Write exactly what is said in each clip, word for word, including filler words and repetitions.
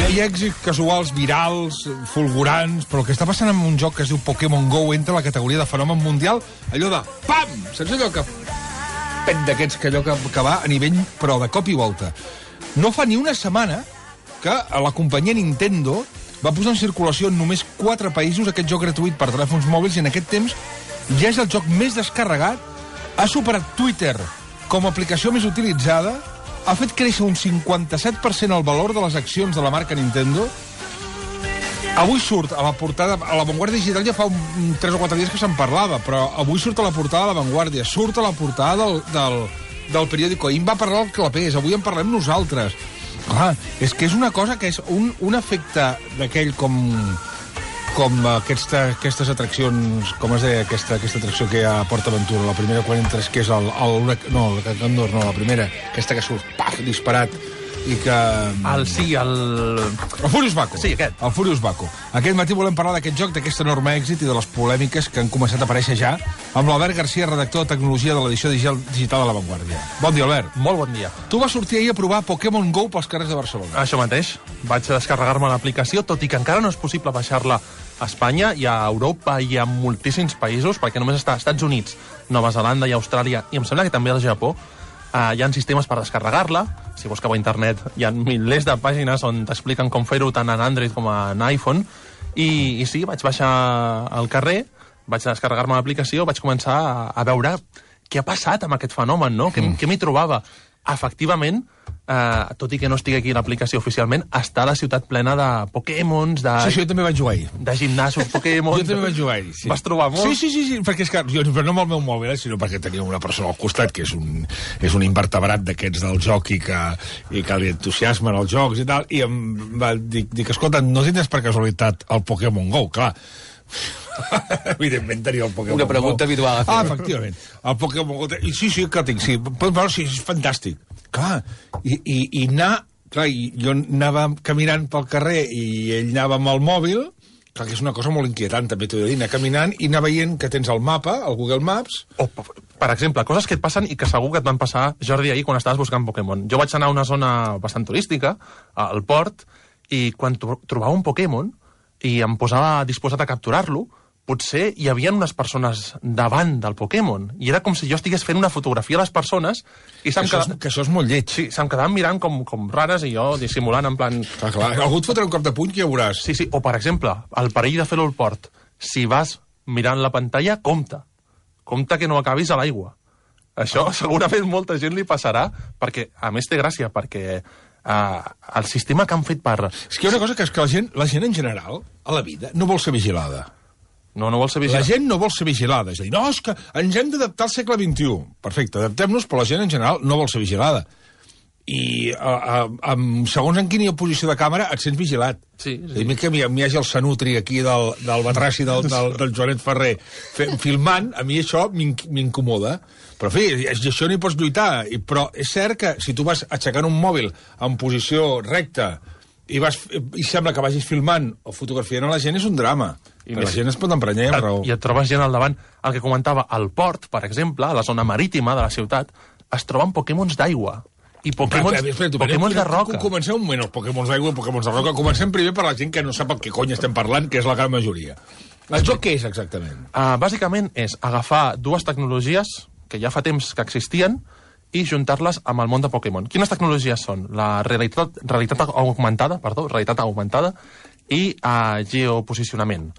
ha, hi ha èxits casuals, virals, fulgurants, però el que està passant amb un joc que es diu Pokémon Go entra a la categoria de fenomen mundial, allò de pam! Saps allò que... pet d'aquests que allò que, que va a nivell, però de cop i volta. No fa ni una setmana que la companyia Nintendo va posar en circulació en només quatre països aquest joc gratuït per telèfons mòbils i en aquest temps ja és el joc més descarregat, ha superat Twitter com a aplicació més utilitzada, ha fet créixer un cinquanta-set per cent el valor de les accions de la marca Nintendo. Avui surt a la portada... A la Vanguardia Digital ja fa un, tres o quatre dies que se'n parlava, però avui surt a la portada de la Vanguardia, surt a la portada del, del, del periòdico. Ahir en va parlar el Clapés, avui en parlem nosaltres. Clar, és que és una cosa que és un, un efecte d'aquell com... com aquesta, aquestes atraccions, com es deia aquesta, aquesta atracció que hi ha a Port Aventura, la primera quan entres, que és el... el no, el Candor, no, la primera, aquesta que surt, paf, disparat, i que... El, sí, el... El Furious Baco. Sí, aquest. El Furious Baco. Aquest matí volem parlar d'aquest joc, d'aquest enorme èxit i de les polèmiques que han començat a aparèixer ja, amb l'Albert Garcia, redactor de tecnologia de l'edició digital de La Vanguardia. Bon dia, Albert. Molt bon dia. Tu vas sortir ahir a provar Pokémon Go pels carrers de Barcelona. Això mateix. Vaig descarregar-me l'aplicació, tot i que encara no és possible baixar-la a Espanya, i a Europa i a moltíssims països, perquè només està als Estats Units, Nova Zelanda i Austràlia, i em sembla que també al Japó. Uh, hi ha sistemes per descarregar-la. Si busqueu a internet hi ha milers de pàgines on t'expliquen com fer-ho tant en Android com en iPhone. I, i sí, vaig baixar al carrer, vaig descarregar-me l'aplicació, vaig començar a, a veure què ha passat amb aquest fenomen, no? Mm. Què m'hi trobava? Efectivament, eh, tot i que no estigui aquí l'aplicació oficialment, està la ciutat plena de Pokémons, de... Sí, sí, jo també vaig jugar ahir. De gimnasos Pokémon. Jo també vaig jugar ahir, sí. Vas trobar molt? Sí, sí, sí, sí, perquè és que jo, però no amb el meu mòbil, eh, sinó perquè tenia una persona al costat que és un, és un invertebrat d'aquests del joc i que, i que li entusiasmen els jocs i tal, i em va dir, dic, escolta, no tindràs per casualitat el Pokémon Go, clar. Evidentment tenia el Pokémon Go. Una pregunta Go. habitual. Ah, efectivament. El Pokémon Go... I sí, sí, que el tinc, sí. Pots veure, sí, és fantàstic. Clar, i, i, i anar... Clar, i jo anava caminant pel carrer i ell anava amb el mòbil, clar, que és una cosa molt inquietant, també t'ho he de dir, anar caminant i anar veient que tens el mapa, el Google Maps... O, per exemple, coses que et passen i que segur que et van passar, Jordi, ahir quan estaves buscant Pokémon. Jo vaig anar a una zona bastant turística, al port, i quan trobava un Pokémon i em posava disposat a capturar-lo, potser hi havia unes persones davant del Pokémon, i era com si jo estigués fent una fotografia a les persones i se'm que, això quedava... és, que això és molt lleig. Sí, se'm quedaven mirant com, com rares i jo dissimulant en plan... Clar, clar. Algú et fotrà un cop de puny que ja veuràs. Sí, sí, o per exemple, el perill de fer-ho al port. Si vas mirant la pantalla, compte. Compte que no acabis a l'aigua. Això ah. segurament molta gent li passarà, perquè, a més, té gràcia, perquè... Uh, el sistema que han fet per... És que hi ha una cosa que és que la gent, la gent en general, a la vida, no vol ser vigilada. No, no vol ser vigilada. La gent no vol ser vigilada. És a dir, no, és que ens hem d'adaptar al segle vint-i-u. Perfecte, adaptem-nos, però la gent en general no vol ser vigilada. I a, a, a, segons en quina posició de càmera et sents vigilat. Sí, sí. I que m'hi hagi el Sanutri aquí del, del Batrassi del, del, del Joanet Ferrer fe, filmant, a mi això m'incomoda. Però, en fi, això no hi pots lluitar. I, però és cert que si tu vas aixecant un mòbil en posició recta i, vas, i sembla que vagis filmant o fotografiant a la gent, és un drama. I la gent es pot emprenyar amb raó. I et trobes gent al davant. El que comentava, al port, per exemple, a la zona marítima de la ciutat, es troben Pokémons d'aigua. I Pokémons, Pokémons de roca. Comencem un moment, els Pokémons d'aigua i Pokémons de roca. Comencem primer per la gent que no sap el que cony estem parlant, que és la gran majoria. El joc què és, exactament? Uh, bàsicament és agafar dues tecnologies que ja fa temps que existien i juntar-les amb el món de Pokémon. Quines tecnologies són? La realitat, realitat augmentada, perdó, realitat augmentada i uh, geoposicionament.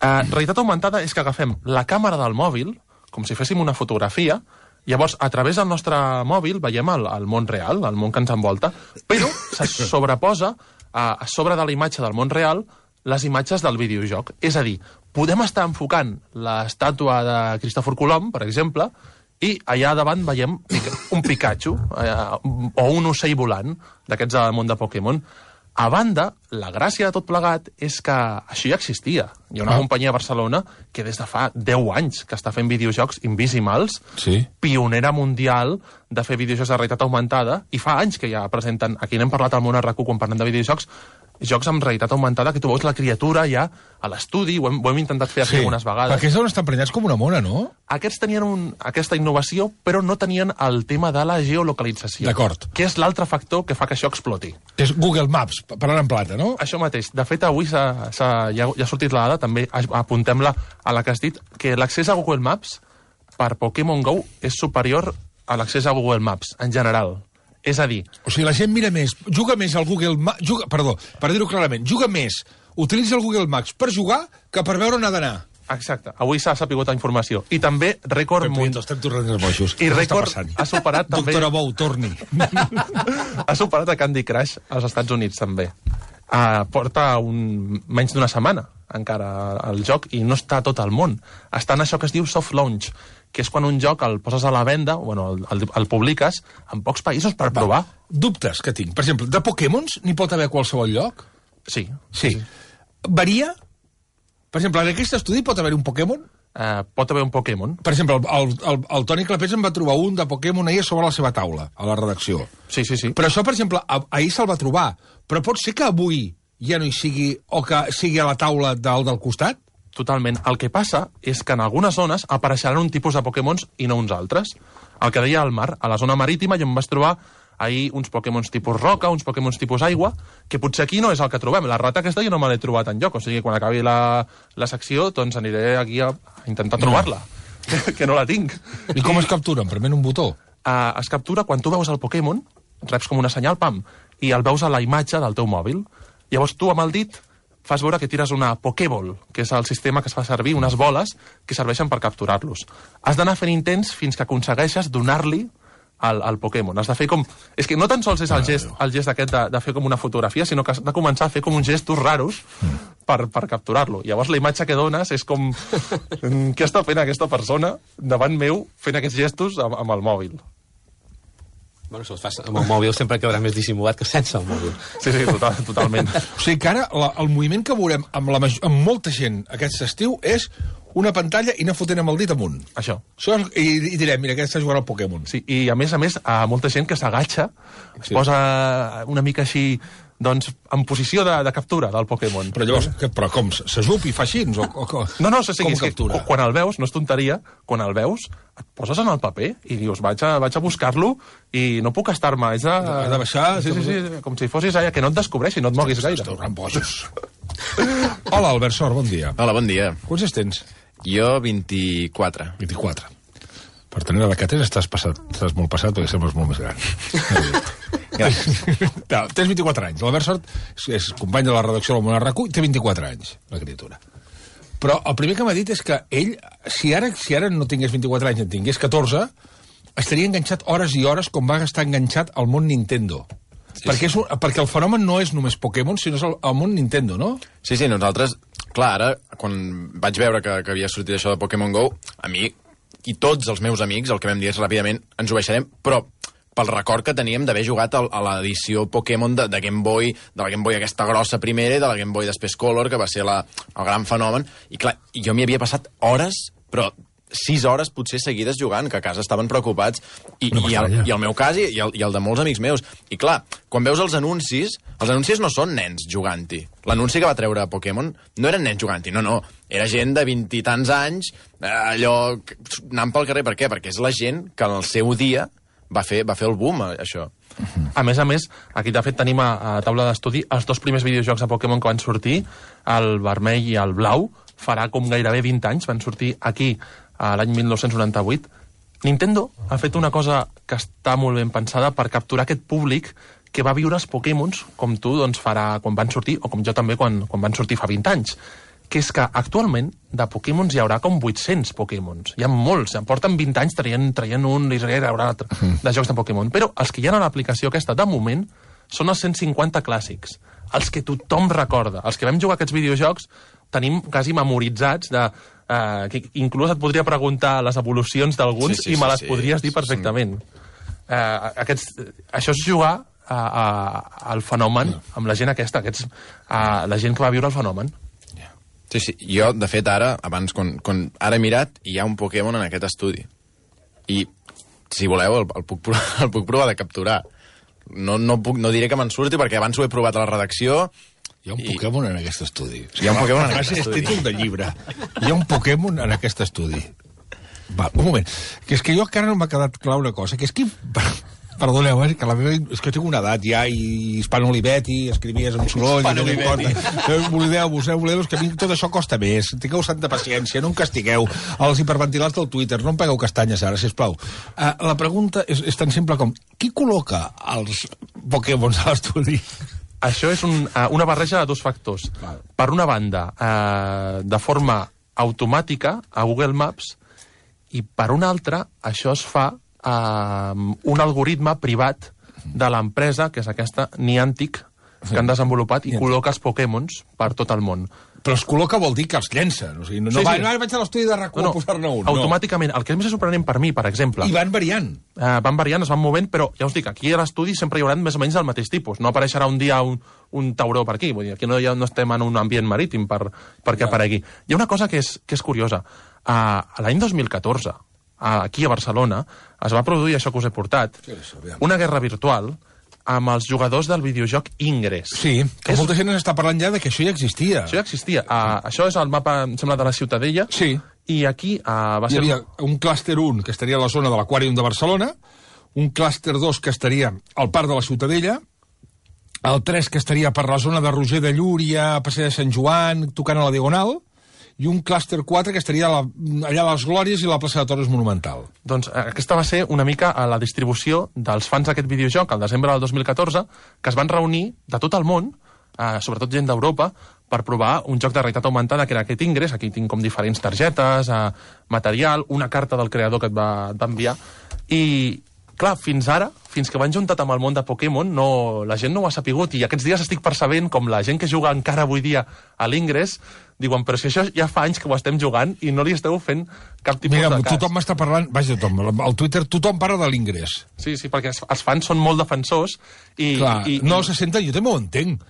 Uh, realitat augmentada és que agafem la càmera del mòbil, com si féssim una fotografia. Llavors, a través del nostre mòbil veiem el, el món real, el món que ens envolta, però se sobreposa a, a sobre de la imatge del món real les imatges del videojoc. És a dir, podem estar enfocant l'estàtua de Cristòfor Colom, per exemple, i allà davant veiem un Pikachu eh, o un ocell volant d'aquests del món de Pokémon. A banda, la gràcia de tot plegat és que això ja existia. Hi ha una ah. companyia a Barcelona que des de fa deu anys que està fent videojocs Invisimals, sí. pionera mundial de fer videojocs de realitat augmentada, i fa anys que ja presenten, aquí n'hem parlat al Món R Q quan parlem de videojocs, jocs amb realitat augmentada, que tu veus la criatura ja a l'estudi, ho, ho hem intentat fer aquí Sí, algunes vegades. perquè és on estan prenyats com una mona, no? Aquests tenien un, aquesta innovació, però no tenien el tema de la geolocalització. D'acord. Que és l'altre factor que fa que això exploti. Que és Google Maps, parlant en plata, no? Això mateix. De fet, avui s'ha, s'ha, ja, ja ha sortit la dada, també apuntem-la a la que has dit, que l'accés a Google Maps per Pokémon GO és superior a l'accés a Google Maps, en general. És a dir... O sigui, la gent mira més, juga més al Google Maps... Juga, perdó, per dir-ho clarament, juga més, utilitza el Google Maps per jugar que per veure on ha d'anar. Exacte. Avui s'ha sapigut la informació. I també rècord... Mun... Estem tornant els boixos. I rècord ha superat també... Doctora Bou, torni. Ha superat a Candy Crush als Estats Units, també. Uh, porta un... menys d'una setmana, encara, el joc, i no està a tot el món. Està en això que es diu soft launch, que és quan un joc el poses a la venda, bueno, el, el, el publiques en pocs països per provar. Va, dubtes que tinc. Per exemple, de Pokémons n'hi pot haver a qualsevol lloc? Sí. Sí. sí. Varia? Per exemple, en aquest estudi pot haver un Pokémon? Uh, pot haver un Pokémon. Per exemple, el, el, el Toni Clapés en va trobar un de Pokémon ahir sobre la seva taula, a la redacció. Sí, sí, sí. Però això, per exemple, ahir se'l va trobar. Però pot ser que avui ja no hi sigui, o que sigui a la taula del, del costat? Totalment. El que passa és que en algunes zones apareixeran un tipus de Pokémons i no uns altres. El que deia al mar, a la zona marítima jo em vaig trobar ahir uns Pokémons tipus roca, uns Pokémons tipus aigua, que potser aquí no és el que trobem. La rata aquesta jo no me l'he trobat enlloc, o sigui, quan acabi la, la secció, doncs aniré aquí a, a intentar trobar-la, que, que no la tinc. I com es capturen? Prement un botó? Uh, es captura quan tu veus el Pokémon, reps com una senyal, pam, i el veus a la imatge del teu mòbil. Llavors tu amb el dit fas veure que tires una Pokéball, que és el sistema que es fa servir, unes boles que serveixen per capturar-los. Has d'anar fent intents fins que aconsegueixes donar-li al, al Pokémon. Has de fer com... És que no tan sols és el gest, el gest aquest de, de fer com una fotografia, sinó que has de començar a fer com uns gestos raros per, per capturar-lo. Llavors la imatge que dones és com... Què està fent aquesta persona davant meu fent aquests gestos amb, amb el mòbil? Bueno, si el fas amb el mòbil sempre quedarà més dissimulat que sense el mòbil. Sí, sí, total, totalment. O sigui que ara la, el moviment que veurem amb, la, amb molta gent aquest estiu és una pantalla i anar fotent amb el dit amunt. Això. Això és, i, I direm, mira, aquest està jugant al Pokémon. Sí, i a més a més, a molta gent que s'agatxa, es Sí. posa una mica així, doncs, en posició de, de captura del Pokémon. Però llavors, que, però com, s'ajup i fa així? O, o, o, No, no, o sigui, com és que captura? quan el veus, no és tonteria, quan el veus, et poses en el paper i dius, vaig a, vaig a buscar-lo i no puc estar-me. És a... Has de baixar, Sí, sí, sí, com si fossis allà, que no et descobreixi, no et moguis gaire. Esteu rambojos. Hola, Albert Sor, bon dia. Hola, bon dia. Quants anys tens? Jo, vint-i-quatre. vint-i-quatre. Per tenir la que tens estàs, passat, estàs molt passat perquè sembles molt més gran. Gràcies. No, tens vint-i-quatre anys. L'Albert Sort és, és company de la redacció del Món Arracú i té vint-i-quatre anys, la criatura. Però el primer que m'ha dit és que ell, si ara, si ara no tingués vint-i-quatre anys i en tingués catorze, estaria enganxat hores i hores com va estar enganxat al món Nintendo. Sí, perquè, és un, perquè el fenomen no és només Pokémon, sinó és el, el món Nintendo, no? Sí, sí, nosaltres, clar, ara, quan vaig veure que, que havia sortit això de Pokémon GO, a mi i tots els meus amics, el que vam dir és ràpidament, ens ho baixarem, però pel record que teníem d'haver jugat a, a l'edició Pokémon de, de Game Boy, de la Game Boy aquesta grossa primera i de la Game Boy després Color, que va ser la, el gran fenomen. I clar, jo m'hi havia passat hores, però sis hores potser seguides jugant, que a casa estaven preocupats, i, no i, el, i el meu cas i, i, el, i el de molts amics meus. I clar, quan veus els anuncis, els anuncis no són nens jugant-hi. L'anunci que va treure Pokémon no eren nens jugant-hi, no, no. Era gent de vint i tants anys, allò, anant pel carrer. Per què? Perquè és la gent que en el seu dia va fer, va fer el boom, això. A més a més, aquí de fet tenim a, a taula d'estudi els dos primers videojocs de Pokémon que van sortir, el vermell i el blau, farà com gairebé vint anys, van sortir aquí a l'any mil nou-cents noranta-vuit. Nintendo ha fet una cosa que està molt ben pensada per capturar aquest públic que va viure els Pokémons, com tu doncs, farà quan van sortir, o com jo també quan, quan van sortir fa vint anys. Que és que actualment de Pokémons hi haurà com vuit-cents Pokémons. Hi ha molts, en porten vint anys traient, traient un i hi haurà altre de jocs de Pokémon. Però els que hi ha a l'aplicació aquesta, de moment, són els cent cinquanta clàssics. Els que tothom recorda. Els que vam jugar aquests videojocs tenim quasi memoritzats de... Uh, que inclús et podria preguntar les evolucions d'alguns sí, sí, i me sí, les sí, podries sí, dir perfectament. Uh, aquests, això és jugar a, a, al fenomen amb la gent aquesta, aquests, uh, la gent que va viure el fenomen. Sí, sí. Jo, de fet, ara, abans, quan, quan ara he mirat, hi ha un Pokémon en aquest estudi. I, si voleu, el, el, puc, provar, el puc provar de capturar. No, no, puc, no diré que me'n surti, perquè abans ho he provat a la redacció Hi ha un Pokémon en aquest estudi. Hi ha un Pokémon en La aquest frase és estudi. títol de llibre. Hi ha un Pokémon en aquest estudi. Va, un moment. Que és que jo encara no m'ha quedat clar una cosa, que és que... Perdoneu, eh, que la meva... És que tinc una edat ja, i Hispano Olivetti, escrivies amb soroll... Hispano Olivetti. Oblideu-vos, eh, oblideu-vos, que a mi tot això costa més. Tingueu santa paciència, no em castigueu. Els hiperventilats del Twitter, no em pegueu castanyes ara, sisplau. Uh, la pregunta és, és tan simple com... Qui col·loca els Pokémons a l'estudi? Això és un, uh, una barreja de dos factors. Val. Per una banda, uh, de forma automàtica a Google Maps, i per una altra, això es fa amb uh, un algoritme privat de l'empresa, que és aquesta Niantic, que han desenvolupat i col·loca els Pokémons per tot el món. Però els col·loca vol dir que els llencen. O sigui, no, Sí, no, va, sí. no, ara vaig a l'estudi de RAC u No, a no, posar-ne un. automàticament. El que és més sorprenent per mi, per exemple... I van variant. Uh, van variant, es van movent, però ja us dic, aquí a l'estudi sempre hi haurà més o menys del mateix tipus. No apareixerà un dia un, un tauró per aquí. Vull dir, aquí no, ja no estem en un ambient marítim per, perquè aparegui. Hi ha una cosa que és, que és curiosa. Uh, L'any dos mil catorze, uh, aquí a Barcelona, es va produir això que us he portat, una guerra virtual amb els jugadors del videojoc Ingress. Sí, que És- molta gent està parlant ja de que això ja existia. Això ja existia. Uh, això és el mapa, em sembla, de la Ciutadella. Sí. I aquí uh, va Hi ser... havia un clúster un, que estaria a la zona de l'Aquàrium de Barcelona, un clúster dos, que estaria al Parc de la Ciutadella, el tres, que estaria per la zona de Roger de Llúria, Passeig de Sant Joan, tocant a la Diagonal, i un clúster quatre, que estaria a la, allà a les Glòries i a la plaça de Toros Monumental. Doncs eh, aquesta va ser una mica a la distribució dels fans d'aquest videojoc al desembre del dos mil catorze, que es van reunir de tot el món, eh, sobretot gent d'Europa, per provar un joc de realitat augmentada que era aquest Ingress. Aquí tinc com diferents targetes, eh, material, una carta del creador que et va, et va enviar. I, clar, fins ara, fins que van juntat amb el món de Pokémon, no, la gent no ho ha sapigut, i aquests dies estic percebent com la gent que juga encara avui dia a l'Ingress diuen, però si això ja fa anys que ho estem jugant i no li esteu fent cap tipus Mira, de cas. tothom m'està parlant... Vaja, tothom, al Twitter tothom parla de l'Ingrés. Sí, sí, perquè els els fans són molt defensors i... Clar, i, no i... se senten, jo també ho entenc.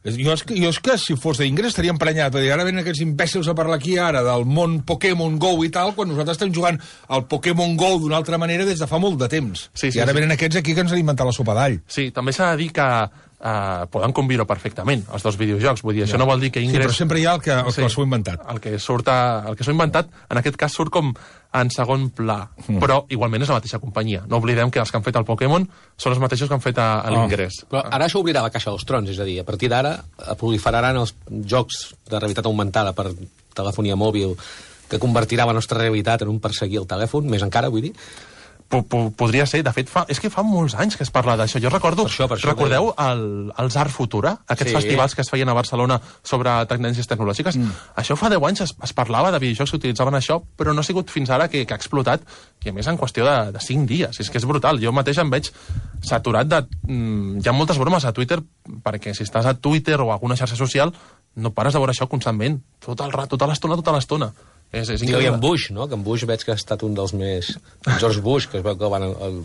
Jo és, que, jo és que si fos d'Ingrés estaria emprenyat. I ara venen aquests imbècils a parlar aquí ara del món Pokémon Go i tal, quan nosaltres estem jugant al Pokémon Go d'una altra manera des de fa molt de temps. Sí, sí, I ara sí. venen aquests aquí que ens han inventat la sopa d'all. Sí, també s'ha de dir que uh, poden conviure perfectament, els dos videojocs. Vull dir, això no vol dir que Sí, Ingress... però sempre hi ha el que, el que s'ho ha inventat. El que surt a, el que s'ho ha inventat, en aquest cas surt com en segon pla, mm. però igualment és la mateixa companyia. No oblidem que els que han fet el Pokémon són els mateixos que han fet a, a l'Ingress. Però ara això obrirà la caixa dels trons, és a dir, a partir d'ara proliferaran els jocs de realitat augmentada per telefonia mòbil que convertirà la nostra realitat en un perseguir el telèfon, més encara, vull dir. Po -po Podria ser, de fet, fa, és que fa molts anys que es parla d'això. Jo recordo, Per això, per això recordeu el, els Art Futura, aquests Sí. festivals que es feien a Barcelona sobre tendències tecnològiques? Mm. Això fa deu anys es, es parlava de videojocs que utilitzaven això, però no ha sigut fins ara que, que ha explotat, i a més en qüestió de, de cinc dies. És que és brutal. Jo mateix em veig saturat de... Mm, hi ha moltes bromes a Twitter, perquè si estàs a Twitter o a alguna xarxa social, no pares de veure això constantment. Tot el rato, tota l'estona, tota l'estona. És, és I increïble. en Bush, no? Que en Bush veig que ha estat un dels més... George Bush, que es veu que van, el,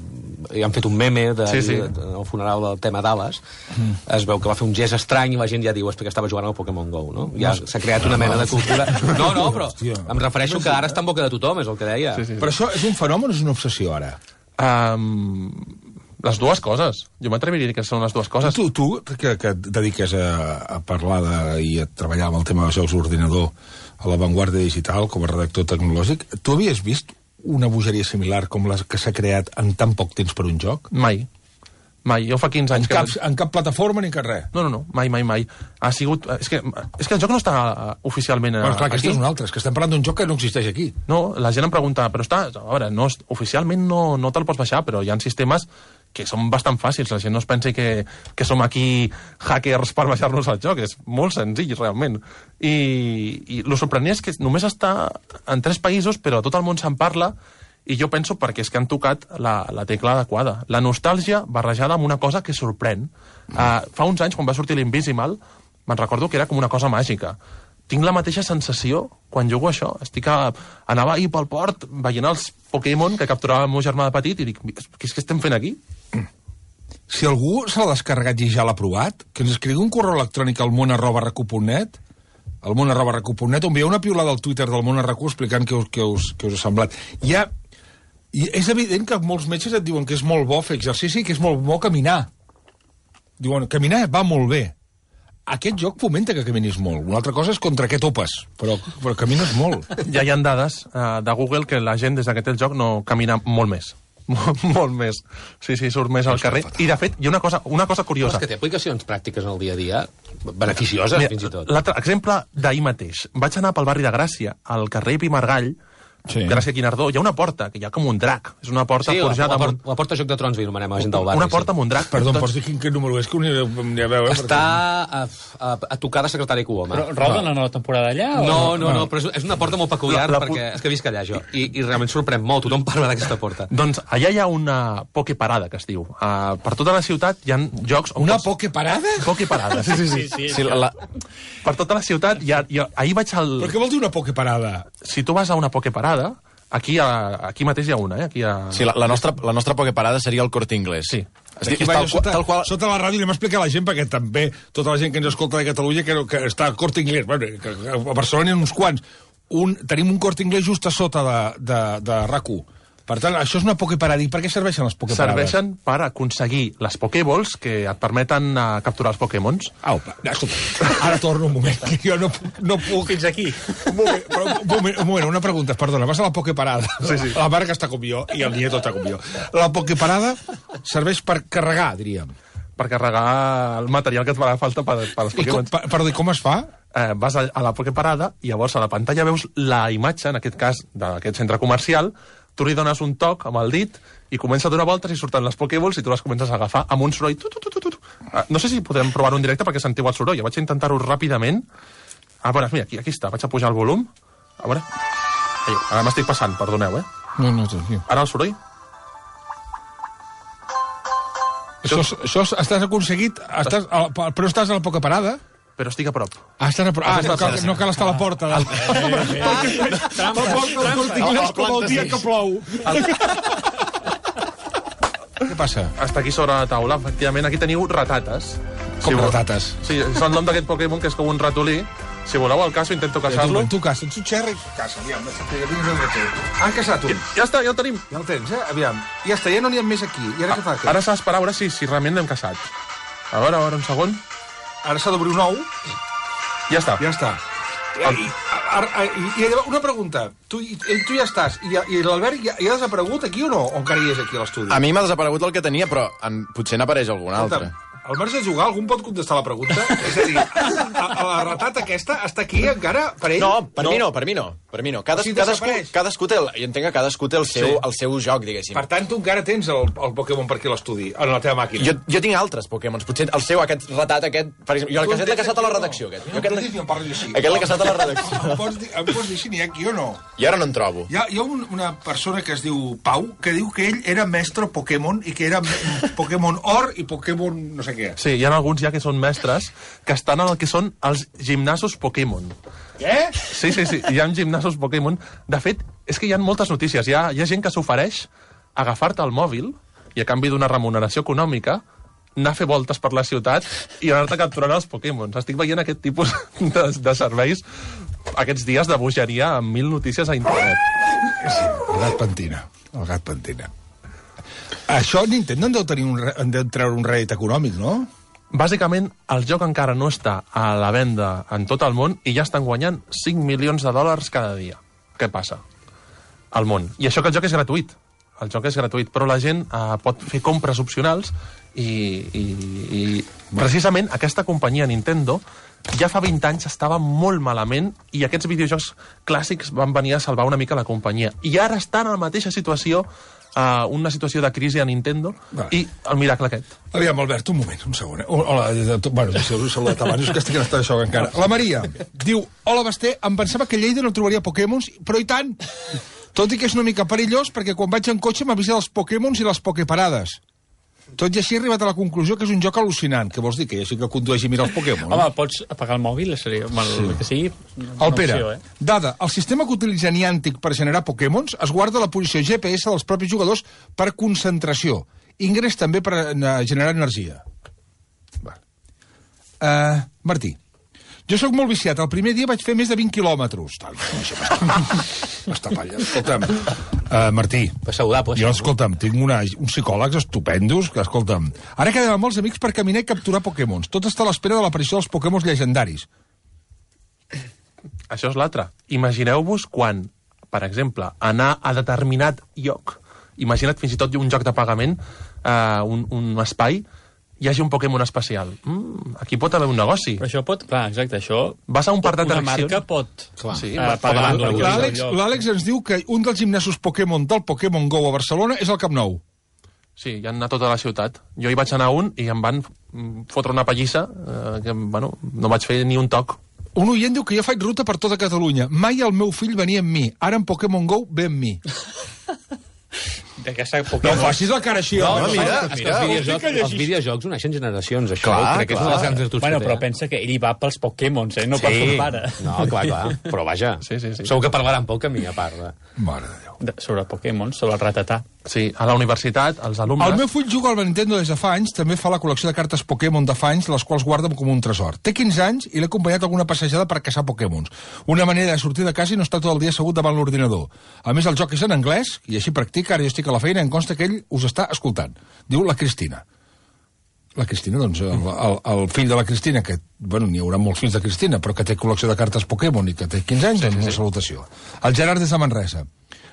hi han fet un meme de, Sí, sí. de, de, del funeral del tema Dallas. Mm. Es veu que va fer un gest estrany i la gent ja diu és perquè estava jugant al Pokémon Go, no? Ja s'ha creat una mena de cultura... No, no, però em refereixo que ara està en boca de tothom, és el que deia. Sí, sí. Però això és un fenomen o és una obsessió, ara? Um, les dues coses. Jo m'atreviria a dir que són les dues coses. Tu, tu que, que et dediques a, a parlar de, i a treballar amb el tema dels jocs d'ordinador a l'avantguarda digital com a redactor tecnològic, tu havies vist una bogeria similar com la que s'ha creat en tan poc temps per un joc? Mai. Mai. Jo fa quinze En anys cap, que... en cap plataforma ni cap res? No, no, no. Mai, mai, mai. Ha sigut... És que, és que el joc no està uh, oficialment uh, Bueno, clar, aquest aquí. és un altre, és que estem parlant d'un joc que no existeix aquí. No, la gent em pregunta, però està... A veure, no, és- oficialment no, no te'l pots baixar, però hi ha sistemes que són bastant fàcils. La gent no es pensi que, que som aquí hackers per baixar-nos el joc. És molt senzill, realment. I, i el sorprenent és que només està en tres països, però tot el món se'n parla, i jo penso perquè és que han tocat la, la tecla adequada. La nostàlgia barrejada amb una cosa que sorprèn. Mm. Uh, fa uns anys, quan va sortir l'Invisimal, me'n recordo que era com una cosa màgica. Tinc la mateixa sensació quan jugo a això. Estic a... Anava ahir pel port veient els Pokémon que capturava el meu germà de petit i dic, què és que estem fent aquí? Si algú se l'ha descarregat i ja l'ha provat, que ens escrigui un correu electrònic al món arroba recu punt net, al món arroba recu punt net, on hi ha una piulada al Twitter del món arrecu explicant què us, què us, què us ha semblat. Hi ha... I és evident que molts metges et diuen que és molt bo fer exercici i que és molt bo caminar. Diuen, caminar va molt bé. aquest joc fomenta que caminis molt. Una altra cosa és contra què topes, però, però camines molt. Ja hi ha dades uh, de Google que la gent des que té el joc no camina molt més. Molt més. Sí, sí, surt més al carrer. I, de fet, hi ha una cosa, una cosa curiosa. Però és que té aplicacions pràctiques en el dia a dia, beneficioses, Mira, fins i tot. L'altre exemple d'ahir mateix. Vaig anar pel barri de Gràcia, al carrer Pimargall, sí. Gràcia Guinardó, hi ha una porta, que hi ha com un drac. És una porta sí, forjada... Sí, la, la, la porta Joc de Trons, li anomenem a la gent del barri. Una porta amb un drac. Perdó, em pots dir quin, quin número és? Que ho aniré a veure. Està a, a, a tocar de secretari Coloma. Però roda la nova temporada allà? No, o... no, no, però és, és una porta molt peculiar, la, la, perquè és que visc allà, jo. I, I realment sorprèn molt, tothom parla d'aquesta porta. Doncs allà hi ha una pokeparada, que es diu. Uh, per tota la ciutat hi ha jocs... Una pots... pokeparada? Pokeparada, sí, sí, sí. sí, sí, sí la, la... Per tota la ciutat hi ha... Hi ha... Ahir vaig al... Però què vol dir una pokeparada? Si tu vas a una pokeparada... Aquí, a, aquí mateix hi ha una, eh? Aquí a... Sí, la, la, nostra, la nostra pokeparada seria el Corte Inglés. Sí. Aquí, tal, sota, tal qual... sota la ràdio anem a explicar a la gent, perquè també tota la gent que ens escolta de Catalunya que, que està al Corte Inglés. Bueno, que, que a Barcelona hi ha uns quants. Un, tenim un Corte Inglés just a sota de, de, de R A C u. Per tant, això és una pokeparada. I per què serveixen les pokeparades? Serveixen per aconseguir les pokéballs que et permeten uh, capturar els pokémons. Au, escolta, ara torno un moment, que jo no puc... No puc. Fins aquí. Un moment, però, un, moment, un moment, una pregunta, perdona. Vas a la pokeparada, sí, sí. La Marga està com jo i el nieto està com jo. La pokeparada serveix per carregar, diríem. Per carregar el material que et farà falta per, per als pokémons. I com, per, perdó, com es fa? Eh, vas a, a la pokeparada i llavors a la pantalla veus la imatge, en aquest cas, d'aquest centre comercial. Tu li dones un toc amb el dit i comença a donar voltes i surten les pokéballs i tu les comences a agafar amb un soroll. Tu, tu, tu, tu, tu. Uh, no sé si podrem provar-ho en directe perquè sentiu el soroll. Jo vaig intentar-ho ràpidament. Ah, veure, mira, aquí, aquí està. Vaig a pujar el volum. A veure. Ai, ara m'estic passant, perdoneu, eh? No, no, tranquil. Ara el soroll. Això, això estàs aconseguit... Estàs, però estàs a la pokeparada? Però estic a prop. Ah, estan a prop. Ah, no cal, no cal estar a la porta. La porta del Corte Inglés com el dia que plou. Què passa? Està aquí sobre la taula, efectivament. Aquí teniu ratates. Com ratates? Sí, és el nom d'aquest Pokémon, que és com un ratolí. Si voleu el caso, intento caçar-lo. Tu caça, ets un xerri, caça, aviam. Han caçat un. Ja està, ja el tenim. Ja el tens, eh? Aviam. Ja està, ja no n'hi ha més aquí. I ara què fa? Ara s'ha d'esperar a veure si, si realment l'hem caçat. A veure, a veure, un segon. Ara s'ha d'obrir un ou. Ja està. Ja està. I, i, i, i una pregunta. Tu, i, tu ja estàs. I, i l'Albert ja, ja ha desaparegut aquí o no? O encara hi és aquí a l'estudi? A mi m'ha desaparegut el que tenia, però en, potser n'apareix algun altre. Al marge de jugar, algun pot contestar la pregunta? És a dir, a, a la ratata aquesta està aquí encara per ell? No, per no. mi no, per mi no. Per mi no. Cades, si cadascú, cadascú té el, jo entenc que cadascú té el seu, sí. el seu joc, diguéssim. Per tant, tu encara tens el, el Pokémon per aquí a l'estudi, en la teva màquina. Jo, jo tinc altres Pokémons. Potser el seu, aquest ratat, aquest... Per exemple, jo el caset l'he caçat a la redacció, aquest. No, aquest no, no parli així. Aquest l'he caçat a la redacció. Em pots dir, em pots dir si n'hi ha aquí o no? I ara no en trobo. Hi ha, hi ha un, una persona que es diu Pau, que diu que ell era mestre Pokémon i que era Pokémon Or i Pokémon no sé què. Sí, hi ha alguns ja que són mestres que estan en el que són els gimnasos Pokémon. Què? Sí, sí, sí, hi ha gimnasos Pokémon. De fet, és que hi ha moltes notícies. Hi ha, hi ha gent que s'ofereix agafar-te el mòbil i a canvi d'una remuneració econòmica anar a fer voltes per la ciutat i anar-te capturant els Pokémons. Estic veient aquest tipus de, de serveis aquests dies de bogeria amb mil notícies a internet. Sí, el gat pentina. El gat pentina. Això Nintendo en deu, tenir un, en deu treure un rèdit econòmic, no? Bàsicament, el joc encara no està a la venda en tot el món i ja estan guanyant cinc milions de dòlars cada dia. Què passa? Al món. I això que el joc és gratuït. El joc és gratuït, però la gent eh, pot fer compres opcionals i, i, i precisament aquesta companyia Nintendo ja fa vint anys estava molt malament i aquests videojocs clàssics van venir a salvar una mica la companyia. I ara estan en la mateixa situació, Uh, una situació de crisi a Nintendo vale. I el miracle aquest. Aviam, Albert, un moment, un segon. Hola, bueno, si us he saludat abans, és que estic en estat de xoc encara. La Maria diu, hola, Basté, em pensava que a Lleida no trobaria Pokémons, però i tant! Tot i que és una mica perillós, perquè quan vaig en cotxe m'avisa dels Pokémons i les Poképarades. Tot i així he arribat a la conclusió que és un joc al·lucinant. Què vols dir? Que ja sí que condueix i mira els Pokémon? Home, pots apagar el mòbil, seria, el sí. que sigui el Pere, opció, eh? Dada, el sistema que utilitza Niantic per generar Pokémons es guarda la posició G P S dels propis jugadors per concentració. Ingrés també per generar energia. Vale. Uh, Martí, Jo sóc molt viciat. El primer dia vaig fer més de vint quilòmetres. Tal, això m'està pallant. Escolta'm, uh, Martí, Pues saludable, jo, això. escolta'm, tinc una, uns psicòlegs estupendos que, escolta'm, ara quedem amb molts amics per caminar i capturar Pokémons. Tot està a l'espera de l'aparició dels Pokémons llegendaris. Això és l'altre. Imagineu-vos quan, per exemple, anar a determinat lloc, imagina't fins i tot un joc de pagament, eh, un, un espai, hi hagi un Pokémon especial. Mm, aquí pot haver un negoci. Però això pot... Clar, exacte, això... Vas a un parc Una d'atraccions... marca pot... Clar. Sí, eh, va- pagar pot- una pot- L'Àlex l'Àlex ens diu que un dels gimnasos Pokémon del Pokémon Go a Barcelona és el Camp Nou. Sí, hi han anat a tota la ciutat. Jo hi vaig anar a un i em van mm, fotre una pallissa eh, que, bueno, no vaig fer ni un toc. Un oient diu que jo faig ruta per tota Catalunya. Mai el meu fill venia amb mi. Ara en Pokémon Go ve amb mi. D'aquesta No Pokémon... facis la cara així. No, home. mira, mira, és que mira. els videojocs, els videojocs uneixen generacions, això. Clar, crec que és una de les grans virtuts Bueno, que té. però eh? pensa que ell hi va pels Pokémons, eh? No per son pare. No, clar, clar. Però vaja, Sí, sí, sí. segur que parlaran poc a mi, a part. De... Mare de Déu. De, sobre Pokémon, sobre el ratatà. Sí, a la universitat, els alumnes... El meu fill juga al Nintendo des de fa anys, també fa la col·lecció de cartes Pokémon de fa anys, les quals guarda com un tresor. Té quinze anys i l'he acompanyat a alguna passejada per caçar Pokémons. Una manera de sortir de casa i no estar tot el dia assegut davant l'ordinador. A més, el joc és en anglès, i així practica, ara jo estic a la feina i em consta que ell us està escoltant. Diu la Cristina. La Cristina, doncs, el, el, el fill de la Cristina, que, bueno, n'hi haurà molts fills de Cristina, però que té col·lecció de cartes Pokémon i que té quinze anys, doncs una salutació. El Gerard des de Manresa.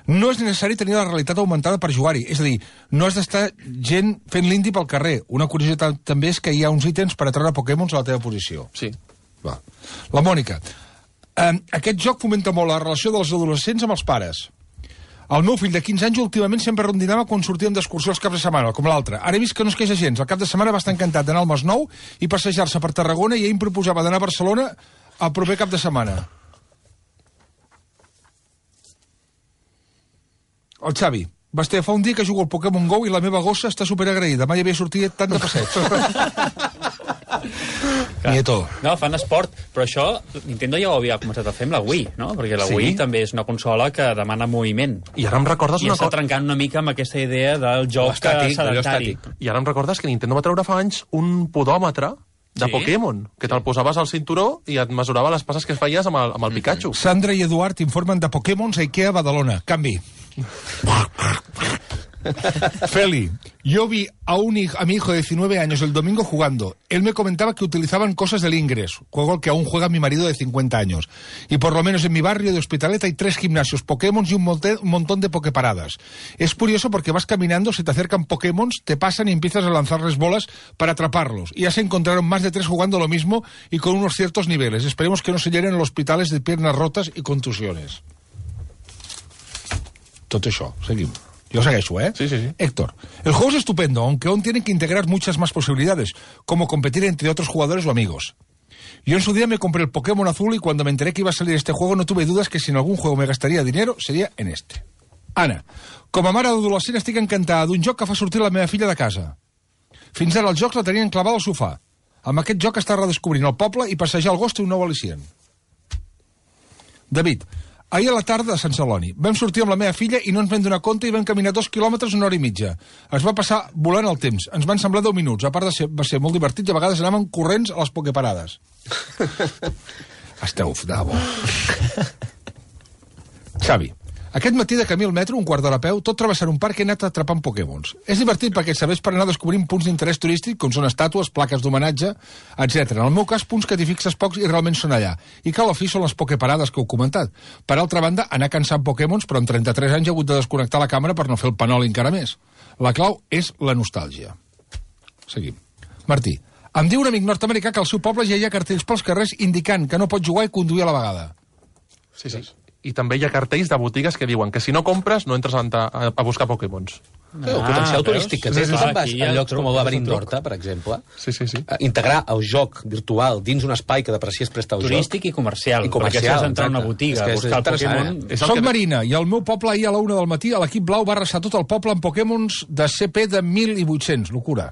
No és necessari tenir la realitat augmentada per jugar-hi. És a dir, no has d'estar gent fent l'indi pel carrer. Una curiositat també és que hi ha uns ítems per atreure Pokémons a la teva posició. Sí. Va. La Mònica. Eh, aquest joc fomenta molt la relació dels adolescents amb els pares. El meu fill de quinze anys últimament sempre rondinava quan sortíem d'excursió els caps de setmana, com l'altre. Ara he vist que no es queixa gens. El cap de setmana va estar encantat d'anar al Masnou i passejar-se per Tarragona i ell em proposava d'anar a Barcelona el proper cap de setmana. El Xavi. Basté, fa un dia que jugo al Pokémon Go i la meva gossa està superagraïda. Mai havia sortit tant de passeig. Nieto. No, fan esport, però això Nintendo ja ho havia començat a fer amb la Wii, no? Perquè la Sí. Wii també és una consola que demana moviment. I ara em recordes I una està cosa... trencant una mica amb aquesta idea del joc Estàtic, allò sedentari. estàtic. I ara em recordes que Nintendo va treure fa anys un podòmetre de Sí? Pokémon, que te'l posaves al cinturó i et mesurava les passes que es feies amb el, amb el Pikachu. Sandra i Eduard informen de Pokémons a Ikea Badalona. Canvi. Feli, yo vi a, un hij- a mi hijo de diecinueve años el domingo jugando. Él me comentaba que utilizaban cosas del Ingress, juego al que aún juega mi marido de cincuenta años. Y por lo menos en mi barrio de Hospitalet hay tres gimnasios Pokémons y un, monte- un montón de Poképaradas. Es curioso porque vas caminando, se te acercan Pokémons, te pasan y empiezas a lanzarles bolas para atraparlos. Y ya se encontraron más de tres jugando lo mismo y con unos ciertos niveles. Esperemos que no se llenen los hospitales de piernas rotas y contusiones. Tot això, seguim. Yo segueixo, ¿eh? Sí, sí, sí. Héctor, el juego es estupendo, aunque aún tiene que integrar muchas más posibilidades, como competir entre otros jugadores o amigos. Yo en su día me compré el Pokémon azul y cuando me enteré que iba a salir este juego no tuve dudas que si en algún juego me gastaría dinero sería en este. Anna, com a mare d'adolescent estic encantada d'un joc que fa sortir la meva filla de casa. Fins ara els jocs la tenien clavada al sofà. Amb aquest joc està redescobrint el poble i passejar el gos té un nou al·licient. David, ahir a la tarda a Sant Celoni vam sortir amb la meva filla i no ens vam donar compte i vam caminar dos quilòmetres una hora i mitja. Es va passar volant el temps. Ens van semblar deu minuts. A part de ser, va ser molt divertit i a vegades anàvem corrents a les Poképarades. Esteu de bo. Xavi, aquest matí de camí al metro, un quart d'hora a peu, tot travessant un parc he anat atrapant Pokémons. És divertit perquè et serveix per anar descobrint punts d'interès turístic, com són estàtues, plaques d'homenatge, etcètera. En el meu cas, punts que t'hi fixes pocs i realment són allà. I que a la fi són les Poképarades que heu comentat. Per altra banda, anar cansant Pokémons, però amb trenta-tres anys he hagut de desconnectar la càmera per no fer el panol encara més. La clau és la nostàlgia. Seguim. Martí, em diu un amic nord-americà que al seu poble ja hi ha cartells pels carrers indicant que no pot jugar i conduir a la vegada. Sí, sí. I també hi ha cartells de botigues que diuen que si no compres no entres a, a, a buscar Pokémons. Sí, el potencial veus? turístic que té. Sí, sí, Tu sí. te'n vas Aquí a hi ha llocs truc, com el hi ha Laberint truc. d'Horta, per exemple, Sí, sí, sí. eh, integrar el joc virtual dins un espai que deprecies presta el Turístic joc. i comercial. I comercial, Perquè si has d'entrar a una exacte. botiga És que a és buscar el interessant, Pokémon... eh? És el Soc que- Marina i al meu poble ahir a la una del matí a l'equip blau va arrasar tot el poble amb Pokémons de C P de mil vuit-cents. Locura.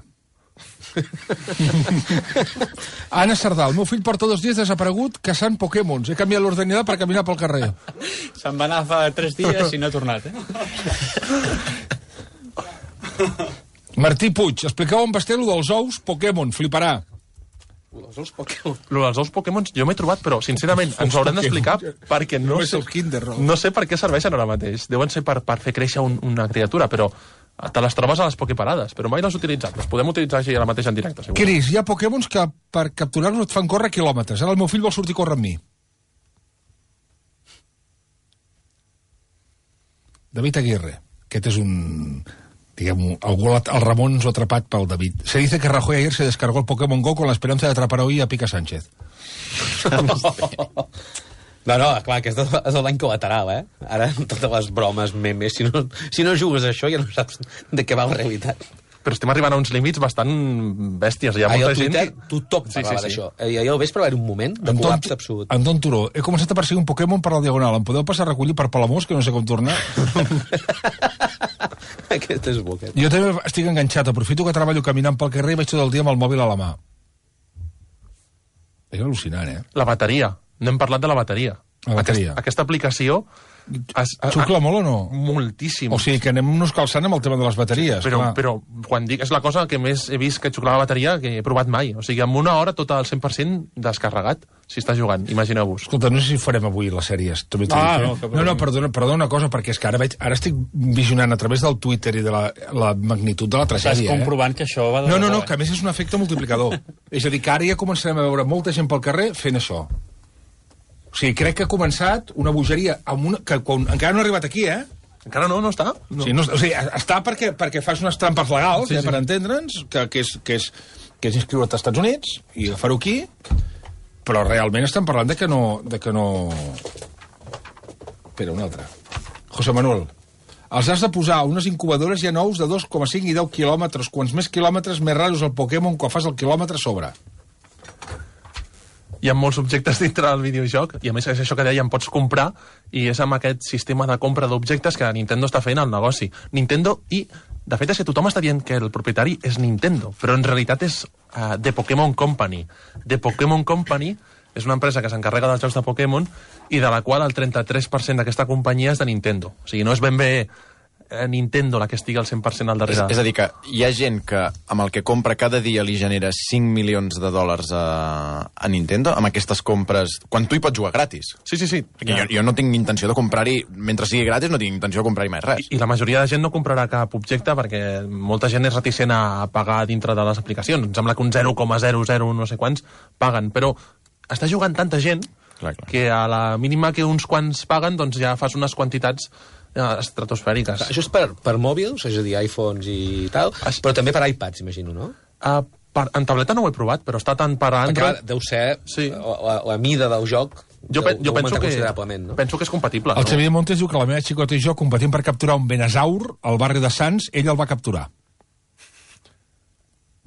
Anna Sardà, el meu fill porta dos dies desaparegut caçant Pokémons. He canviat l'ordenador per caminar pel carrer. Se'n va anar fa tres dies i no ha tornat, eh? Martí Puig, expliqueu en Basté lo dels ous Pokémon, fliparà. Els ous Pokémon. Lo dels ous Pokémon jo m'he trobat, però sincerament ens ho haurem d'explicar perquè no, No és sé, el Kinder, no. no sé per què serveixen ara mateix. Deuen ser per, per fer créixer un, una criatura, però te les trobes a les Poképarades, però mai les he utilitzat. Les podem utilitzar així a la mateixa en directe, segur. Cris, hi ha Pokémons que per capturar-los et fan córrer quilòmetres. Ara el meu fill vol sortir a córrer amb mi. David Aguirre. Aquest és un... Digamos, algú, el Ramon ens ho ha atrapat pel David. Se dice que Rajoy ayer se descargó el Pokémon Go con la esperanza de atrapar hoy a Pica Sánchez. No, no, clar, aquest és l'any col·lateral, eh? Ara, totes les bromes, memes, si no, si no jugues a això ja no saps de què va la realitat. Però estem arribant a uns límits bastant bèsties. Hi ha Ahir molta al gent... Twitter tothom Sí, sí, parlava sí. d'això. I ahir al vespre va haver un moment de col·lapse absolut. Anton Turó, he començat a perseguir un Pokémon per la Diagonal. Em podeu passar a recollir per Palamós, que no sé com tornar? Aquest és bo, aquest. Jo també estic enganxat. Aprofito que treballo caminant pel carrer i vaig tot el dia amb el mòbil a la mà. És al·lucinant, eh? La bateria. No hem parlat de la bateria. La bateria. Aquesta, aquesta aplicació... Es, Xucla molt o no? Moltíssim. O sigui, que anem-nos calçant amb el tema de les bateries. Però, clar. però quan dic és la cosa que més he vist que xuclar la bateria que he provat mai. O sigui, en una hora tot al cent per cent descarregat, si està jugant, imagineu-vos. Escolta, no sé si farem avui les sèries. També t'ho Ah, dic, eh? no, que no, no, perdona, perdona una cosa, perquè és que ara, veig, ara estic visionant a través del Twitter i de la, la magnitud de la Estàs tragèdia. comprovant que això va de Eh? No, no, debò, no, que a més és un efecte multiplicador. És a dir, que ara ja començarem a veure molta gent pel carrer fent això. O sigui, crec que ha començat una bogeria amb una, que quan, encara no ha arribat aquí, eh? Encara no, no està? No. O sigui, no, o sigui, està perquè, perquè fas unes trampes legals, Sí, sí, eh, sí. per entendre'ns, que, que, és, que, és, que és inscriure't als Estats Units i agafar-ho aquí, però realment estem parlant de que no... De que no... Espera, un altre. José Manuel, els has de posar unes incubadores ja nous de dos coma cinc i deu quilòmetres. Quants més quilòmetres, més raro és el Pokémon quan fas el quilòmetre a sobre. Hi ha molts objectes dintre del videojoc i a més és això que dèiem, pots comprar i és amb aquest sistema de compra d'objectes que Nintendo està fent el negoci. Nintendo i, de fet, és que tothom està dient que el propietari és Nintendo, però en realitat és uh, The Pokémon Company. The Pokémon Company és una empresa que s'encarrega dels jocs de Pokémon i de la qual el trenta-tres per cent d'aquesta companyia és de Nintendo. O sigui, no és ben bé Nintendo la que estigui al cent per cent al darrere. És, és a dir, que hi ha gent que amb el que compra cada dia li genera cinc milions de dòlars a, a Nintendo, amb aquestes compres, quan tu hi pots jugar gratis. Sí, sí, sí. Perquè jo, jo no tinc intenció de comprar-hi, mentre sigui gratis, no tinc intenció de comprar-hi mai res. I la majoria de gent no comprarà cap objecte perquè molta gent és reticent a pagar dintre de les aplicacions. Em sembla que un zero coma zero zero no sé quants paguen, però està jugant tanta gent Clar, clar. que a la mínima que uns quants paguen doncs ja fas unes quantitats eh, estratosfèriques. Això és per, per mòbils, és a dir, iPhones i tal, Es- però també per iPads, imagino, no? Uh, per, en tableta no ho he provat, però està tant per Perquè Android... clar, deu ser Sí. la, la, la mida del joc Jo, pe deu, jo deu penso, augmentar que, considerablement, no? penso que és compatible. El no? Xavier Montes diu que la meva xicota i jo competim per capturar un benasaur al barri de Sants, ell el va capturar.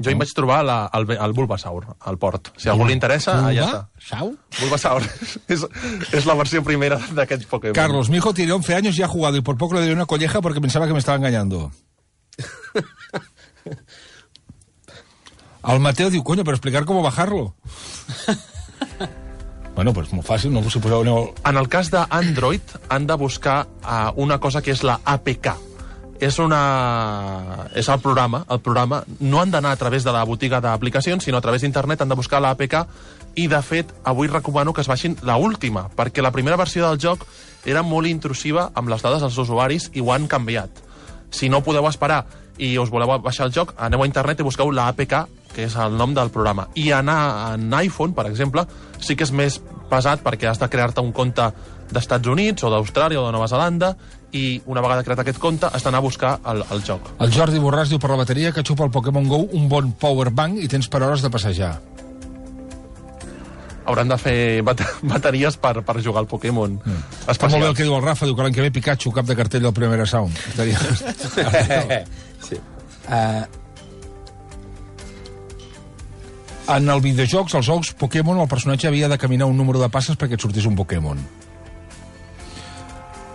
Jo hi vaig trobar la, el, el Bulbasaur, al port. Si a algú li interessa, allà està. Sau? Bulbasaur és, és la versió primera d'aquests Pokémon. Carlos, mi hijo tiene once años y ha jugado y por poco le dio una colleja porque pensaba que me estaba engañando. Al Mateo diu, coño, pero explicar cómo bajarlo. Bueno, pues muy fácil, no se poseu... No... En el cas d'Android, han de buscar uh, una cosa que és la A P K. És, una... és el programa, el programa. No han d'anar a través de la botiga d'aplicacions, sinó a través d'internet han de buscar la A P K i, de fet, avui recomano que es baixin la última, perquè la primera versió del joc era molt intrusiva amb les dades dels usuaris i ho han canviat. Si no podeu esperar i us voleu baixar el joc, aneu a internet i busqueu la A P K, que és el nom del programa. I anar en iPhone, per exemple, sí que és més pesat perquè has de crear-te un compte d'Estats Units o d'Austràlia o de Nova Zelanda i una vegada creat aquest compte has d'anar a buscar el, el joc. El Jordi Borràs diu per la bateria que xupa el Pokémon Go un bon powerbank i tens per hores de passejar. Hauran de fer bat bateries per, per jugar al Pokémon. Mm. Està molt bé el que diu el Rafa, diu que l'any que ve Pikachu, cap de cartell del Primera Sound. Estaria... Sí. Uh, en el videojocs, als jocs Pokémon, el personatge havia de caminar un número de passes perquè et sortís un Pokémon.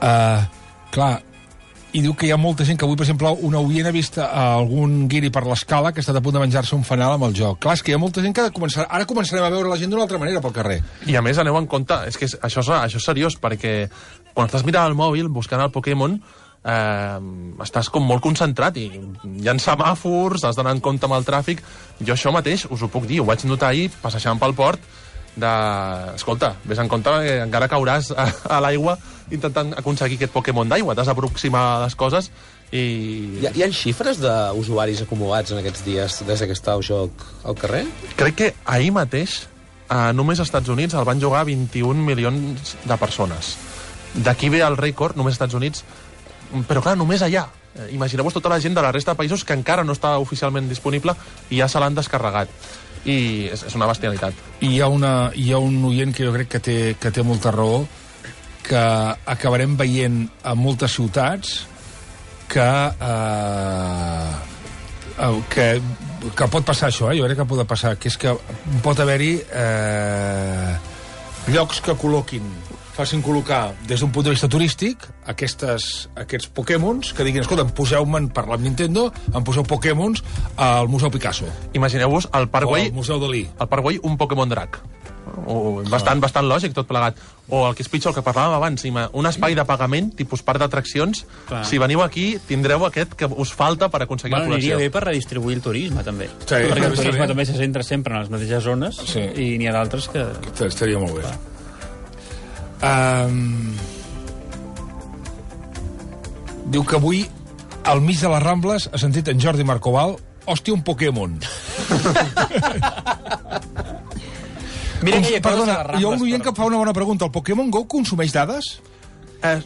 Uh, clar, i diu que hi ha molta gent que avui, per exemple, una oient ha vist algun guiri per l'escala que ha estat a punt de menjar-se un fanal amb el joc. Clar, és que hi ha molta gent que començar... ara començarem a veure la gent d'una altra manera pel carrer. I a més, aneu en compte, és que és, això, és, això és seriós, perquè quan estàs mirant el mòbil, buscant el Pokémon, eh, estàs com molt concentrat i hi ha semàfors, has d'anar en compte amb el tràfic. Jo això mateix us ho puc dir, ho vaig notar ahir passejant pel port, de... escolta, vés en compte que encara cauràs a, a l'aigua intentant aconseguir aquest Pokémon d'aigua, t'has d'aproximar a les coses i... Hi ha, hi ha xifres d'usuaris acumulats en aquests dies des que està el joc al carrer? Crec que ahir mateix, eh, només als Estats Units el van jugar vint-i-un milions de persones. D'aquí ve el rècord, només als Estats Units, però clar, només allà. Eh, Imagineu-vos tota la gent de la resta de països que encara no està oficialment disponible i ja se l'han descarregat. I és, és una bestialitat. I hi ha, una, hi ha un oient que jo crec que té, que té molta raó, que acabarem veient a moltes ciutats que, eh, que, que pot passar això, eh? Jo crec que pot passar, que és que pot haver-hi eh, llocs que col·loquin, facin col·locar des d'un punt de vista turístic aquestes, aquests Pokémons, que diguin, escolta, poseu-me'n per la Nintendo, em poseu Pokémons al Museu Picasso. Imagineu-vos al Parc O Güell, al Museu Dalí. al Parc Güell un Pokémon drac. O, bastant, bastant lògic tot plegat. O el que és pitjor, el que parlàvem abans, un espai de pagament, tipus parc d'atraccions. Si veniu aquí, tindreu aquest que us falta per aconseguir Bueno, la col·lecció. aniria bé per redistribuir el turisme, també. Sí, Perquè el estaria turisme bé. també se centra sempre en les mateixes zones Sí. i n'hi ha d'altres que... Estaria molt bé. Um, diu que avui, al mig de les Rambles, ha sentit en Jordi Marcoval, hòstia, un Pokémon. Mira que hi ha coses Perdona, a les Rambles, hi ha un oient però- que fa una bona pregunta. El Pokémon Go consumeix dades? Eh,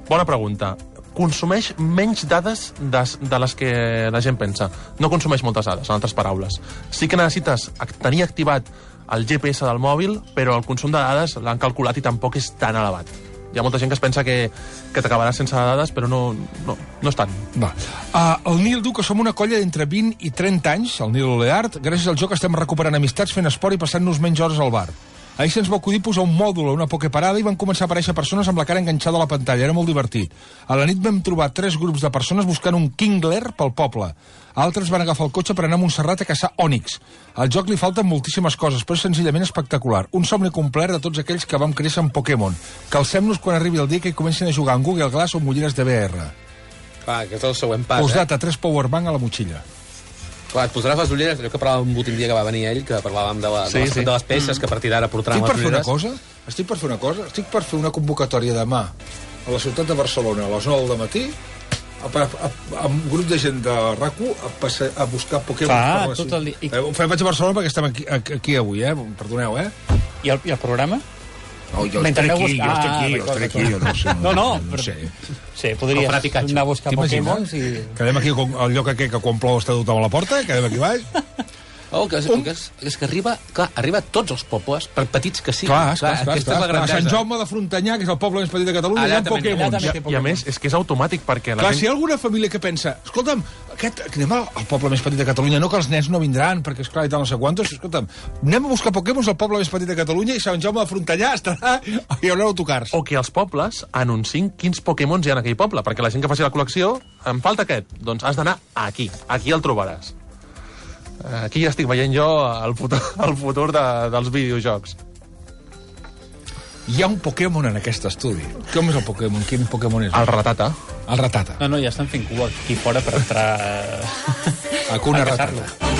bona pregunta. Consumeix menys dades de, de les que la gent pensa. No consumeix moltes dades, en altres paraules. Sí que necessites ac- tenir activat el G P S del mòbil, però el consum de dades l'han calculat i tampoc és tan elevat. Hi ha molta gent que es pensa que, que t'acabarà sense dades, però no, no, no és tant. Va. Uh, el Nil diu que som una colla d'entre vint i trenta anys, el Nil Oleart. Gràcies al joc estem recuperant amistats, fent esport i passant-nos menys hores al bar. Ahir se'ns va acudir posar un mòdul a una pokeparada i van començar a aparèixer persones amb la cara enganxada a la pantalla. Era molt divertit. A la nit vam trobar tres grups de persones buscant un Kingler pel poble. Altres van agafar el cotxe per anar a Montserrat a caçar ònix. Al joc li falten moltíssimes coses, però és senzillament espectacular. Un somni complet de tots aquells que vam créixer en Pokémon. Calcem-nos quan arribi el dia que hi comencin a jugar en Google Glass o amb ulleres de V R. Clar, aquest és el següent pas, Postdata, tres powerbank a la motxilla. Clar, et posaràs les ulleres, allò que parlàvem l'últim dia que va venir ell, que parlàvem de, la, Sí, de, les, sí. de les peces, que a partir d'ara portaran Estic per les fer una ulleres. cosa? Estic per fer una cosa? Estic per fer una convocatòria demà a la ciutat de Barcelona a les nou del matí a, a, a, amb un grup de gent de RAC u a, passe, a buscar Pokémon. Clar, per la tot ciutat. el dia. I- Eh, ho faig a Barcelona perquè estem aquí, aquí avui, eh? Perdoneu, eh? I el, i el programa? No, jo Mentre estaré aneu aquí, jo buscar- estaré aquí, Ah, jo estaré aquí, d'acord, jo no sé. No, no, no però- sé. Sí, podries Com Frat i Catxo. anar a buscar T'imagines? Pokémons i... Quedem aquí al lloc aquell que quan plou està tothom a la porta, quedem aquí baix. Oh, que és, que és, és que arriba, clar, arriba a tots els pobles, per petits que siguin. Clar, clar, clar, aquesta clar, és la clar. A Sant grandesa. Jaume de Frontanyà, que és el poble més petit de Catalunya, Allà hi ha també- Pokémons. allà també I, té I a Pokémon. més, és que és automàtic, perquè la Clar, gent... si hi ha alguna família que pensa, escolta'm, aquest, anem al, al poble més petit de Catalunya, no que els nens no vindran, perquè esclar, i tal, no sé quantos, escolta'm, anem a buscar Pokémons al poble més petit de Catalunya i Sant Jaume de Frontanyà estarà, hi haurà autocars. O que els pobles anunciïn quins Pokémons hi ha en aquell poble, perquè la gent que faci la col·lecció, em falta aquest, doncs has d'anar aquí, aquí el trobaràs. Aquí ja estic veient jo el futur, el futur de, dels videojocs. Hi ha un Pokémon en aquest estudi. Com és el Pokémon? Quin Pokémon és? El Ratata. El Ratata. No, no, ja estan fent cua aquí fora per entrar... Hakuna a caçar-lo. Ratata.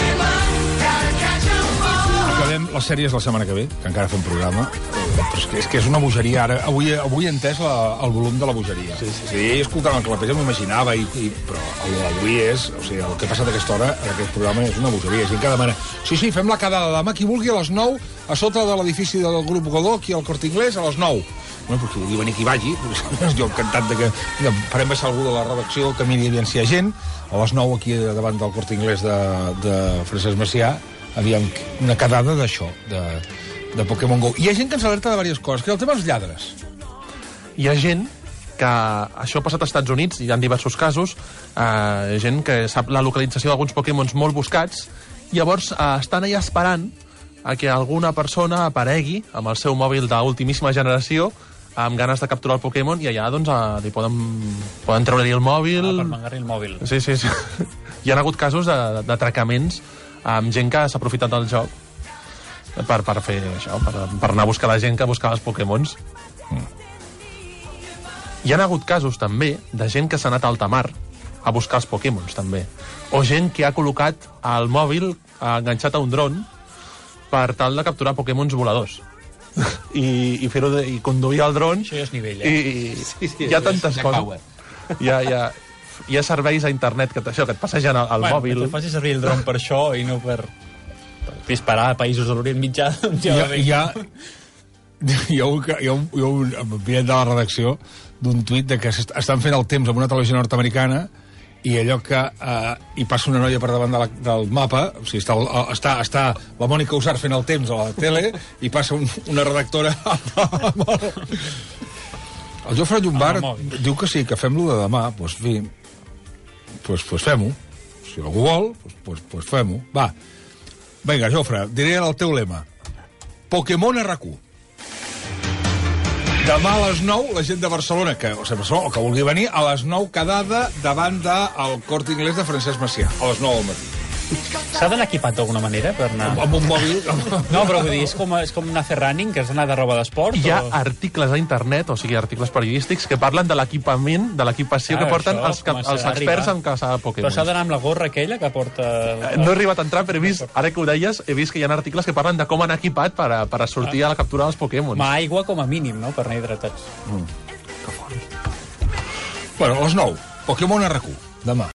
Acabem les sèries la setmana que ve, que encara fem programa. Però és que és, que és una bogeria, ara. Avui, avui he entès la, el volum de la bogeria. Sí, sí, sí. Escoltant el Clapés ja m'ho imaginava, i, i, però el d'avui és... O sigui, el que ha passat a aquesta hora, en aquest programa, és una bogeria. Gent que demana, sí, sí, fem la quedada demà, qui vulgui, a les nou, a sota de l'edifici del grup Godó, aquí al Corte Inglés, a les nou. Bueno, però qui vulgui venir, qui vagi. Jo encantat de que mira, farem baixar algú de la redacció, que miri aviam si hi ha gent. A les nou, aquí davant del Corte Inglés de, de Francesc Macià, aviam una quedada d'això, de, de Pokémon Go. I hi ha gent que ens alerta de diverses coses, que el tema dels lladres. Hi ha gent que això ha passat als Estats Units, hi ha diversos casos, eh, gent que sap la localització d'alguns Pokémons molt buscats, i llavors eh, estan allà esperant a que alguna persona aparegui amb el seu mòbil d'ultimíssima generació amb ganes de capturar el Pokémon, i allà doncs, eh, li poden, poden treure-li el mòbil... Ah, per mangar-li el mòbil. Sí, sí, sí. Hi ha hagut casos d'atracaments amb gent que s'ha aprofitat del joc per, per fer això, per, per anar a buscar la gent que buscava els Pokémons. Hi ha hagut casos, també, de gent que s'ha anat a alta mar a buscar els Pokémons, també. O gent que ha col·locat el mòbil enganxat a un dron per tal de capturar Pokémons voladors. I, i fer-ho i conduir el dron. Això ja és nivell, eh? I, sí, sí, hi ha tantes coses. Hi ha, hi, ha, hi ha serveis a internet que, això, que et passegen al, al bueno, mòbil. Que faci servir el dron per això i no per, per disparar a països de l'Orient Mitjà. Hi ha, hi ha, hi ha, un, hi ha un, hi ha un enviat de la redacció d'un tuit de que estan fent el temps amb una televisió nord-americana i allò que eh, hi passa una noia per davant de la, del mapa, o sigui, està, està, està la Mònica Usar fent el temps a la tele i passa un, una redactora amb el... El Jofre Llombard diu que sí, que fem-lo de demà, doncs fi, doncs, doncs fem-ho. Si algú vol, doncs, doncs, doncs fem-ho. Va, vinga, Jofre, diré el teu lema. Pokémon R Q. Demà a les nou, la gent de Barcelona, que, o sigui, Barcelona, o que vulgui venir, a les nou quedada davant del Corte Inglés de Francesc Macià, a les nou del matí. S'ha d'anar equipat d'alguna manera per anar... Amb, amb un mòbil... No, però vull dir, és com, és com anar a fer running, que has d'anar de roba d'esport? Hi ha o... articles a internet, o sigui, articles periodístics, que parlen de l'equipament, de l'equipació que porten els, els experts en caçar Pokémon. Però s'ha d'anar amb la gorra aquella que porta... No he arribat a entrar, però he vist, ara que ho deies, he vist que hi ha articles que parlen de com anar equipat per a, per a sortir a la captura dels Pokémon. Ma aigua com a mínim, no?, per anar hidratats. Mm. Que fort. Bueno, a les nou, Pokémon R Q, demà.